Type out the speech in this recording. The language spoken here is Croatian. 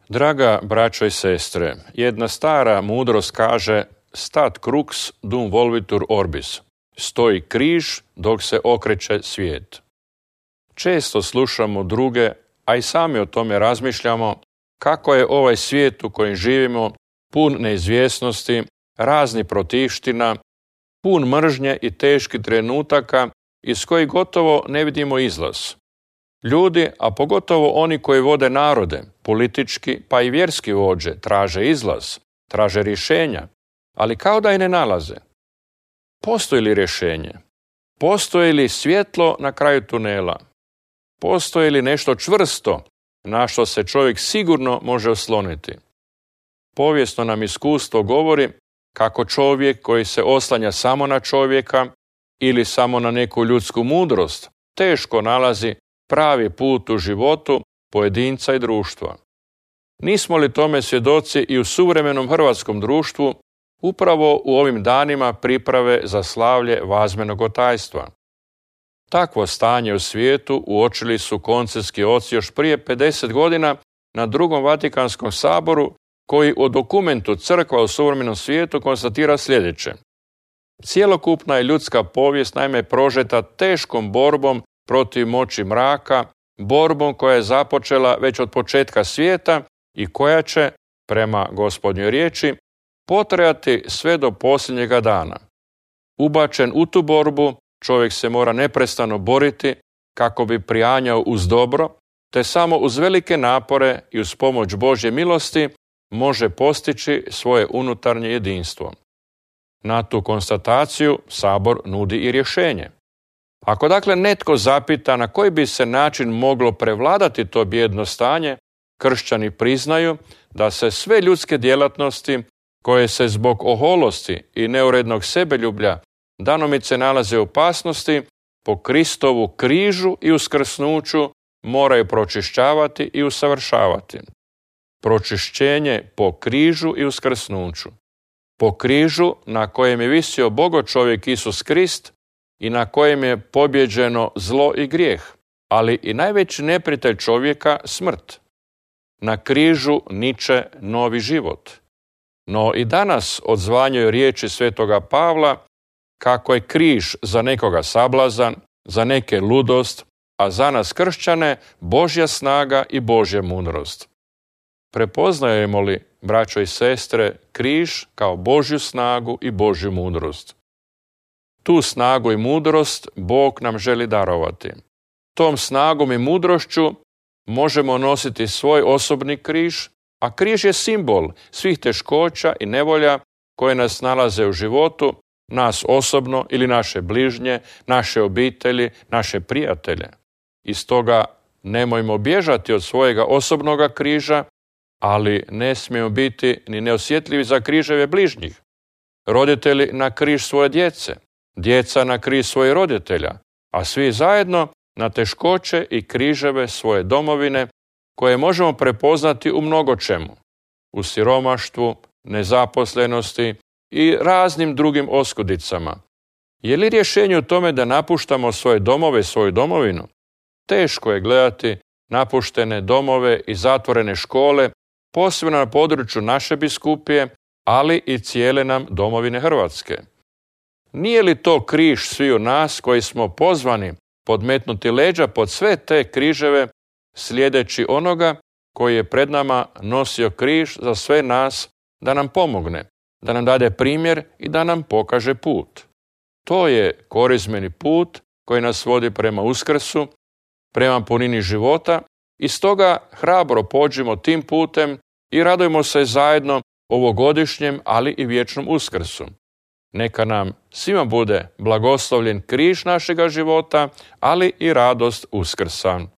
Draga braćo i sestre, jedna stara mudrost kaže stat crux dum volvitur orbis, stoji križ dok se okreće svijet. Često slušamo druge, a i sami o tome razmišljamo, kako je ovaj svijet u kojem živimo pun neizvjesnosti, raznih protivština, pun mržnje i teških trenutaka iz kojih gotovo ne vidimo izlaz. Ljudi, a pogotovo oni koji vode narode, politički pa i vjerski vođe, traže izlaz, traže rješenja, ali kao da i ne nalaze. Postoji li rješenje? Postoji li svjetlo na kraju tunela? Postoji li nešto čvrsto na što se čovjek sigurno može osloniti? Povijesno nam iskustvo govori kako čovjek koji se oslanja samo na čovjeka ili samo na neku ljudsku mudrost teško nalazi pravi put u životu pojedinca i društva. Nismo li tome svjedoci i u suvremenom hrvatskom društvu upravo u ovim danima priprave za slavlje Vazmenog otajstva? Takvo stanje u svijetu uočili su koncilski oci još prije 50 godina na Drugom Vatikanskom saboru, koji u dokumentu Crkva u suvremenom svijetu konstatira sljedeće. Cjelokupna je ljudska povijest naime prožeta teškom borbom protiv moći mraka, borbom koja je započela već od početka svijeta i koja će, prema Gospodnjoj riječi, potrajati sve do posljednjega dana. Ubačen u tu borbu, čovjek se mora neprestano boriti kako bi prijanjao uz dobro, te samo uz velike napore i uz pomoć Božje milosti može postići svoje unutarnje jedinstvo. Na tu konstataciju Sabor nudi i rješenje. Ako dakle netko zapita na koji bi se način moglo prevladati to bijedno stanje, kršćani priznaju da se sve ljudske djelatnosti koje se zbog oholosti i neurednog sebeljublja danomice nalaze u opasnosti, po Kristovu križu i uskrsnuću moraju pročišćavati i usavršavati. Pročišćenje po križu i uskrsnuću. Po križu na kojem je visio Bogo čovjek Isus Krist i na kojem je pobjeđeno zlo i grijeh, ali i najveći neprijatelj čovjeka, smrt. Na križu niče novi život. No i danas odzvanjaju riječi svetoga Pavla kako je križ za nekoga sablazan, za neke ludost, a za nas kršćane Božja snaga i Božja mudrost. Prepoznajemo li, braćo i sestre, križ kao Božju snagu i Božju mudrost? Tu snagu i mudrost Bog nam želi darovati. Tom snagom i mudrošću možemo nositi svoj osobni križ, a križ je simbol svih teškoća i nevolja koje nas nalaze u životu, nas osobno ili naše bližnje, naše obitelji, naše prijatelje. I stoga nemojmo bježati od svojega osobnoga križa, ali ne smijemo biti ni neosjetljivi za križeve bližnjih. Roditelji na križ svoje djece, djeca na križ svojih roditelja, a svi zajedno na teškoće i križeve svoje domovine koje možemo prepoznati u mnogo čemu. U siromaštvu, nezaposlenosti i raznim drugim oskudicama. Je li rješenje u tome da napuštamo svoje domove, svoju domovinu? Teško je gledati napuštene domove i zatvorene škole, posebno na području naše biskupije, ali i cijele nam domovine Hrvatske. Nije li to križ sviju nas koji smo pozvani podmetnuti leđa pod sve te križeve, slijedeći onoga koji je pred nama nosio križ za sve nas da nam pomogne, da nam dade primjer i da nam pokaže put. To je korizmeni put koji nas vodi prema uskrsu, prema punini života i stoga hrabro pođimo tim putem i radujmo se zajedno ovogodišnjem, ali i vječnom uskrsu. Neka nam svima bude blagoslovljen križ našega života, ali i radost uskrsa.